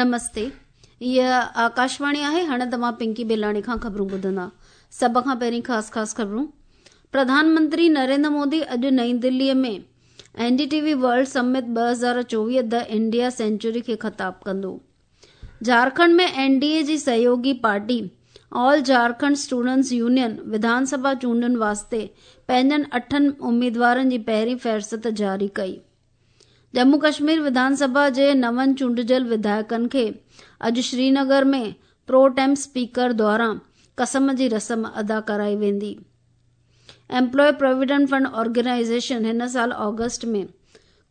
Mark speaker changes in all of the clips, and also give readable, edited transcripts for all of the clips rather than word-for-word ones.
Speaker 1: نمستي هيء آڪاشواڻي آهي هاڻي توهان پنڪي بيلاڻي کان خبرون ٻڌندا سڀ کان پهرين خاص خاص خبرون پرڌان منتري نريندر مودي اڄ نئين دلي ۾ N D T V world summit 2024 the India century کي خطاب ڪندو جھارکنڊ ۾ اين ڊي اي جي سهيوگي party all Jharkhand students union Vidhan Sabha چونڊن واسطي پنهنجن اٺن اميدوارن جي پهرين فهرست جاري ڪئي ڄمون ڪشمير وڌان سڀا جي نون چونڊجل وڌايڪن کي اڄ سرينگر ۾ پرو ٽيم اسپيڪر دواران قسم جي رسم ادا ڪرائي ويندي. ايمپلائي پراويڊنٽ فنڊ آرگنائيزيشن هن سال آگسٽ ۾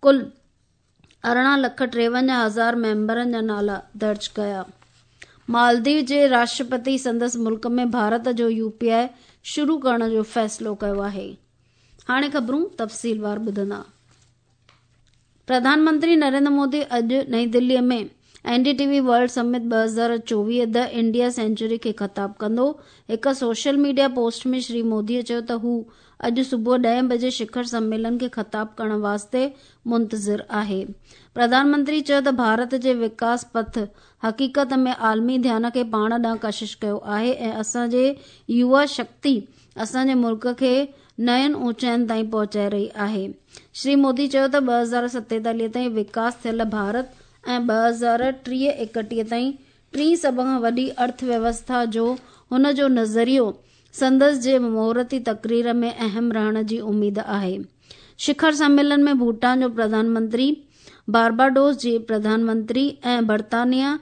Speaker 1: ڪل 18 لک 53 هزار ميمبرن جا نالا درج ڪيا. مالديو جي راشٽرپتي سندس ملڪ ۾ ڀارت جو يو پي آء شروع ڪرڻ جو فيصلو ڪيو آهي. هاڻي خبرون تفصيلوار ٻڌندا. پرڌان منتري نريندر مودي اڄ نئين دلي ۾ N D T V world summit 2024 the India century کي خطاب ڪندو. هڪ social media post ۾ Shri Modi چيو ته هو اڄ صبح ڏهين بجي شکر سميلن کي خطاب ڪرڻ واسطي منتظر آهي. پرڌان منتري چيو ته ڀارت جي وڪاس پٿ حقيقت ۾ عالمي ڌيان کي پاڻ ڏانهن ڪشش ڪيو آهي ۽ اسان جي يووا شڪتي اسان جي ملڪ کي نين اوچائين تائين پهچائي رهي آهي. شري مودي چيو ته 2047 تائين وڪاس ٿيل ڀارت ۽ 2030 31 تائين ٽين سڀ کان وڏي ارٿ ويوسٿا جو هن جو نظريو سندس جي مهورتي تقرير ۾ اهم رهڻ جي اميد آهي. شکر سميلن ۾ ڀوٽان جو پرڌان منتري، بارباڊوس جي پرڌان منتري ۽ برطانيا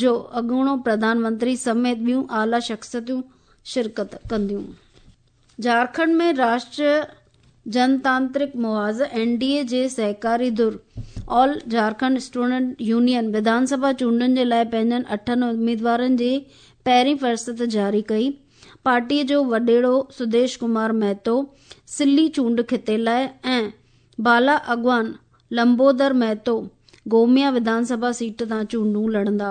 Speaker 1: جو اڳوڻو پرڌان منتري سميت ٻيون اعليٰ شخصيتون شرڪت ڪنديون. جھارکنڊ ۾ راشٽريه جنتانترڪ محاذ، اين ڊي اي، جي سهڪاري ڌر آل جھارکنڊ اسٽوڊنٽ يونين وڌان سڀا چونڊن جي لاء پنهنجن اٺن اميدوارن جي پهرين فهرست جاري ڪئي. پارٽيء جو وڏيرو سديش ڪمار مهتو سلي چونڊ خطي لاء ۽ بالا اڳواڻ لمبودر مهتو گوميا وڌان سڀا سيٽ تان چونڊون لڙندا.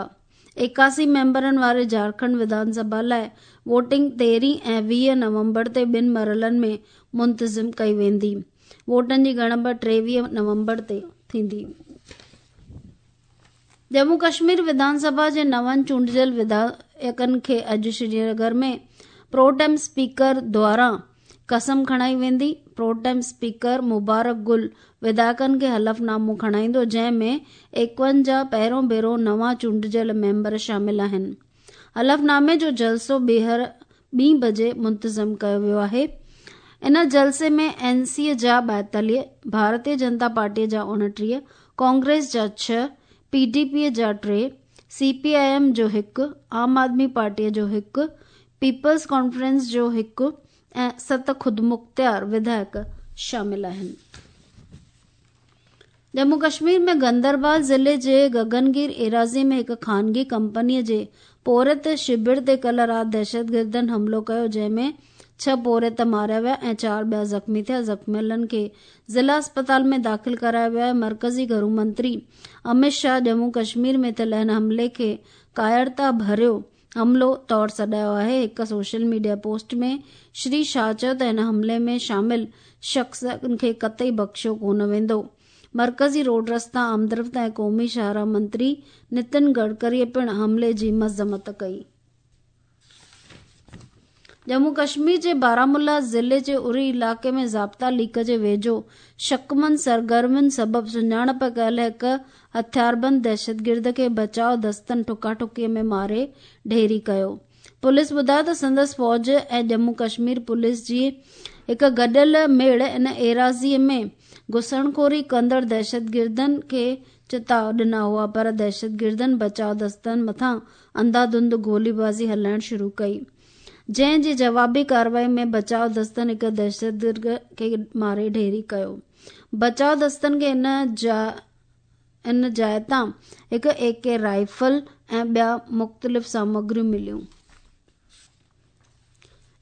Speaker 1: 81 ميمبرن واري جھارکنڊ وڌان سڀا لاء ووٽنگ 13 ۽ 20 نومبر تي ٻن مرحلن ۾ منتظم ڪئي ويندي. ووٽن جي ڳڻپ 23 نومبر تي ٿيندي. ڄمون ڪشمير وڌان سڀا جي نون چونڊجل وڌايڪن کي اڄ سرينگر ۾ پرو ٽيم اسپيڪر دواران قسم کڻائي ويندي. پرو ٽيم اسپيڪر مبارڪ گل وڌايڪن کي حلف نامو کڻائيندو جنهن ۾ 51 پهريون ڀيرو نوان چونڊجل ميمبر شامل آهن. حلف نامي جو جلسو ٻيهر ٻين بجي منتظم ڪيو ويو آهي. ان جلسي ۾ اين سي جا 42، ڀارتيه جنتا پارٽي جا 29، ڪانگريس جا 6، پي ڊي پي جا 3، سي پي I M جو 1، عام آدمي پارٽي جو 1، پيپلز ڪانفرنس جو 1 ۽ 7 خودمختيار وڌايڪ شامل آهن. ڄمون ڪشمير ۾ گندربال ضلعي جي گگنگير ايراضي ۾ هڪ خانگي ڪمپني جي پورهيت شبر تي ڪلهه رات دهشتگردن حملو ڪيو جنهن ۾ 6 پورهيت ماريا ويا ۽ 4 ٻيا زخمي ٿيا. زخميلن کي ضلع اسپتال ۾ داخل ڪرايو ويو آهي. مرڪزي گهرو منتري امت شاهه ڄمون ڪشمير ۾ ٿيل هن حملي کي ڪائرتا ڀريو حملو طور سڏايو آهي. هڪ social media post ۾ Shri Shah چيو ته هن حملي ۾ شامل شخصن کي قطعي بخشيو ڪونه ويندو. مرڪزي روڊ رستا، آمدرفت ۽ قومي شاهراهه منتري نتن گڊڪريء پڻ حملي جي مذمت ڪئي. ڄمون ڪشمير جي بارامولا ضلعي جي اري علائقي ۾ ضابطا ليڪ جي ويجهو شڪمند سرگرمين سبب سڃاڻپ ڪيل هڪ هٿياربند دهشتگرد کي بچاء دستن ٺڪا ٺڪيء ۾ ماري ڍيري ڪيو. پوليس ٻڌايو ته سندس فوج ۽ ڄمون ڪشمير پوليس جي هڪ گڏيل ميڙ ان ايراضيء ۾ گهسڻخوري ڪندڙ دهشتگردن کي چتاء ڏنا هئا پر دهشتگردن بچاء دستن مٿان انڌاڌنڌ گوليبازي هلائڻ شروع ڪئي جنهن جي جوابي ڪارروائي ۾ بچاء دستن هڪ دهشتگرد کي ماري ڍيري ڪيو. بچاء دستن کي ان جاء تان هڪ اي ڪي رائفل ۽ ٻيا مختلف سامگريون مليون.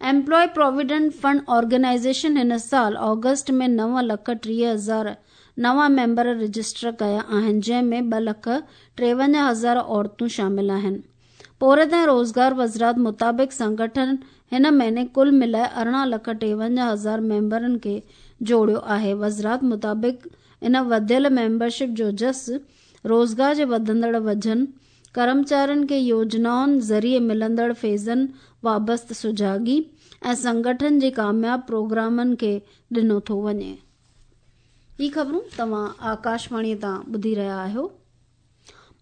Speaker 1: ايمپلائي پراويڊنٽ فنڊ آرگنائيزيشن هن سال آگسٽ ۾ 9 لک 30 هزار نوان ميمبر رجسٽر ڪيا آهن جنهن ۾ 2 لک 53 هزار عورتون شامل آهن. پورهيت ۽ روزگار وزارت مطابق سنگٺن هن مهيني ڪل ملائي 18 لک 53 هزار ميمبرن کي جوڙيو آهي. وزارت مطابق ان وڌيل ميمبرشپ جو جس روزگار جي وڌندڙ وجهن، ڪرمچارين کي يوجنائن ذريعي ملندڙ فيضن وابسته سجاڳي ۽ سنگٺن جي ڪامياب پروگرامن کي ڏنو ٿو وڃي. هي خبرون توهان آڪاشواڻي تان ٻڌي رهيا آهيو.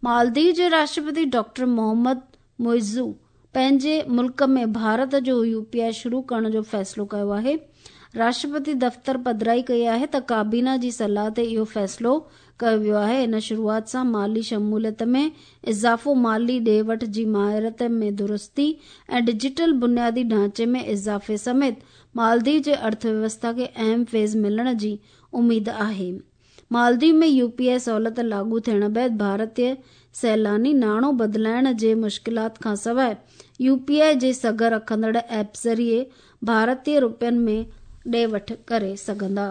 Speaker 1: مالديو جي راشٽرپتي ڊاڪٽر محمد معزو پنهنجي ملڪ ۾ ڀارت جو يو پي آء شروع ڪرڻ جو فيصلو ڪيو آهي. راشٽرپتي دفتر پڌرائي ڪئي آهي ته ڪابينا جي صلاح تي اهو فيصلو ڪيو ويو آهي. ان شروعات سان مالي شموليت ۾ اضافو، مالي ڏي وٺ جي ماهرت ۾ درستي ۽ ڊجيٽل بنيادي ڍانچي ۾ اضافي سميت مالديو جي ارٿويوسٿا کي اهم فيض ملڻ جي اميد آهي. مالديپ ۾ يو پي آء سهولت لاڳو ٿيڻ بعد ڀارتي سيلاني ناڻو بدلائڻ جي مشڪلات کانسواء يو پي آء جي سگهه رکندڙ ايپ ذريعي ڀارتي رپين ۾ ڏي وٺ ڪري سگهندا.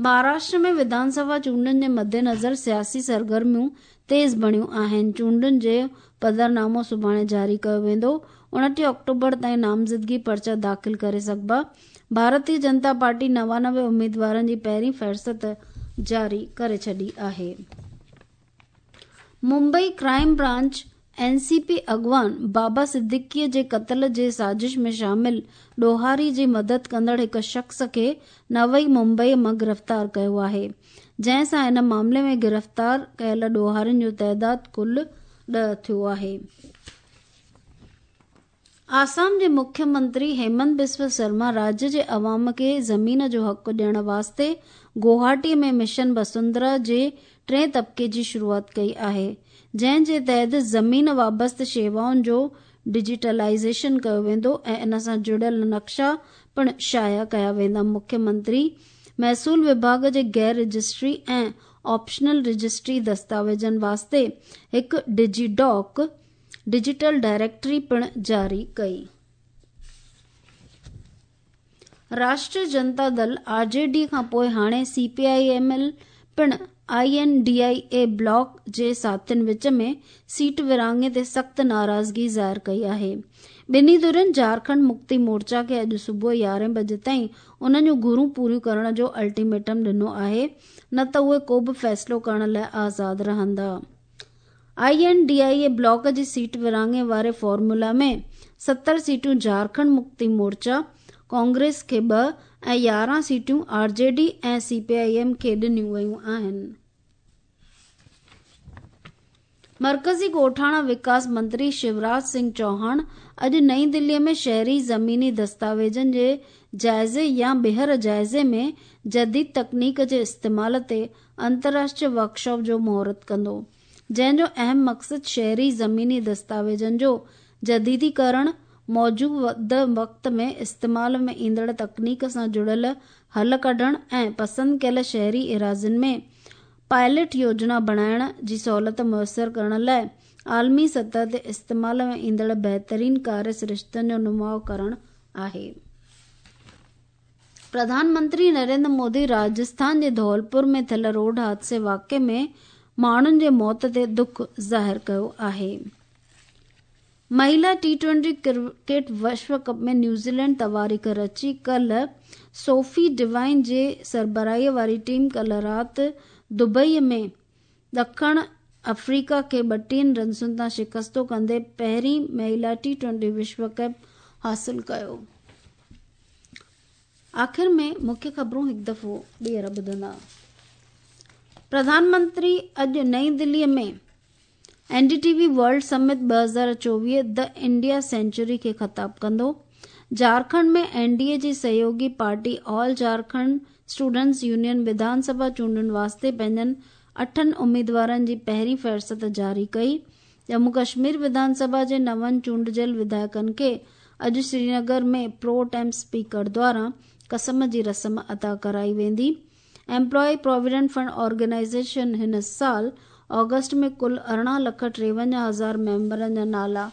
Speaker 1: مهاراشٽر ۾ وڌان سڀا چونڊن جي مدنظر سياسي سرگرميون تيز بڻيون آهن، چونڊن جو پڌرنامو سڀاڻي جاري ڪيو ويندو، 29 آڪٽوبر تائين نامزدگي پرچا داخل ڪري سگهبا، ڀارتي جنتا پارٽي 99 اميدوارن جي پهرين فهرست جاري ڪري ڇڏي آهي. Mumbai crime branch N C P اڳواڻ بابا صديقي جي قتل جي سازش ۾ شامل ڏوهاري جي مدد ڪندڙ هڪ شخص کي نوي ممبئي مان گرفتار ڪيو آهي جنهن سان ان معاملي ۾ گرفتار ڪيل ڏوهارين جو تعداد ڪل 10 ٿيو آهي. آسام جي مکيه منتري هيمنت بسوا سرما راجيه جي عوام کي زمين جو حق ڏيڻ واسطي گوهاٽي ۾ مشن وسنڌرا جي ٽئين طبقي جي شروعات ڪئي آهي جنهن جي تحت زمين وابسته شيوائن جو ڊجيٽلائيزيشن ڪيو ويندو ۽ ان سان جڙيل نقشا پڻ شايع ڪيا ويندا مکيه منتري محصول وڀاڳ جي غير رجسٽري ۽ آپشنل رجسٽري دستاويزن واسطي هڪ ڊجي ڊاڪ ڊجيٽل ڊائريڪٽري پڻ جاري ڪئي. Rashtriya Janata Dal, R J D, کانپوء هاڻي C P I M L پڻ I N D I A block جي ساٿين وچ ۾ سيٽ ورهاڱي تي سخت ناراضگي ظاهر ڪئي آهي. ٻنهي ڌرين جهارکنڊ مڪتي مورچا کي اڄ صبح يارهين بجي تائين انهن جون گهرون پوريون ڪرڻ جو الٽيميٽم ڏنو آهي نه ته اهي ڪو به فيصلو ڪرڻ لاء آزاد رهندا. I N D I A block جي سيٽ ورهاڱي واري فارمولا ۾ 70 سيٽون جهارکنڊ مڪتي مورچا، ڪانگريس کي ٻه ۽ 11 سيٽون R J D ۽ C P I M کي ڏنيون ويون آهن. مرڪزي ڳوٺاڻا وڪاس منتري شيوراج سنگهه چوهاڻ اڄ نئين دلي ۾ شهري زميني دستاويزن جي جائزي يا ٻيهر جائزي ۾ جديد تڪنيڪ جي استعمال تي انترراشٽريه ورڪشاپ جو مهورت ڪندو، جنهن جو اهم مقصد شهري زميني دستاويزن جو جديديڪرڻ، موجوده وقت ۾ استعمال ۾ ايندڙ تڪنيڪ سان جڙيل حل ڪڍڻ ۽ پسند ڪيل شهري ايراضين ۾ پائلٽ يوجنا بڻائڻ جي سهولت ميسر ڪرڻ لاء عالمي سطح تي استعمال ۾ ايندڙ بهترين ڪاري سرشتن جو نماء ڪرڻ آهي. پرڌان منتري نريندر مودي راجسٿان جي ڌولپور ۾ ٿيل روڊ حادثي واقعي ۾ ماڻهن جي موت تي دک ظاهر ڪيو آهي. مهيلا ٽي ٽوئنٽي ڪرڪيٽ وشو ڪپ ۾ نيوزيلينڊ تواريخ رچي ڪلهه سوفي ڊوائن جي سربراهي واري ٽيم ڪلهه رات دبئي ۾ ڏکڻ آفريڪا کي 32 رنسن تان شڪستو ڪندي پهرين مهيلا ٽي ٽوئنٽي وشو ڪپ حاصل ڪيو. آخر ۾ مکيه خبرون هڪ دفعو ٻيهر ٻڌندا. پرڌان منتري اڄ نئين دلي ۾ N D T V world summit 2024 the India century کي خطاب ڪندو. جهارکنڊ ۾ اين ڊي اي جي سهيوڳي party all Jharkhand students union Vidhan Sabha چونڊن واسطي پنهنجن اٺن اميدوارن جي پهرين فهرست جاري ڪئي. ڄمون ڪشمير وڌان سڀا جي نون چونڊجيل وڌايڪن کي اڄ سرينگر ۾ پرو ٽيم اسپيڪر دواران قسم جي رسم ادا ڪرائي ويندي. ايمپلائي پراويڊنٽ فنڊ آرگنائيزيشن هن سال آگسٽ ۾ ڪل 18 لک 53 هزار ميمبرن جا نالا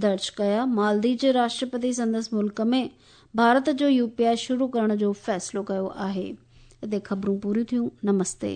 Speaker 1: درج ڪيا. مالديپ جي راشٽرپتي سندس ملڪ ۾ ڀارت جو يو پي آء شروع ڪرڻ جو فيصلو ڪيو آهي. هتي خبرون پوريون ٿيون. نمستي.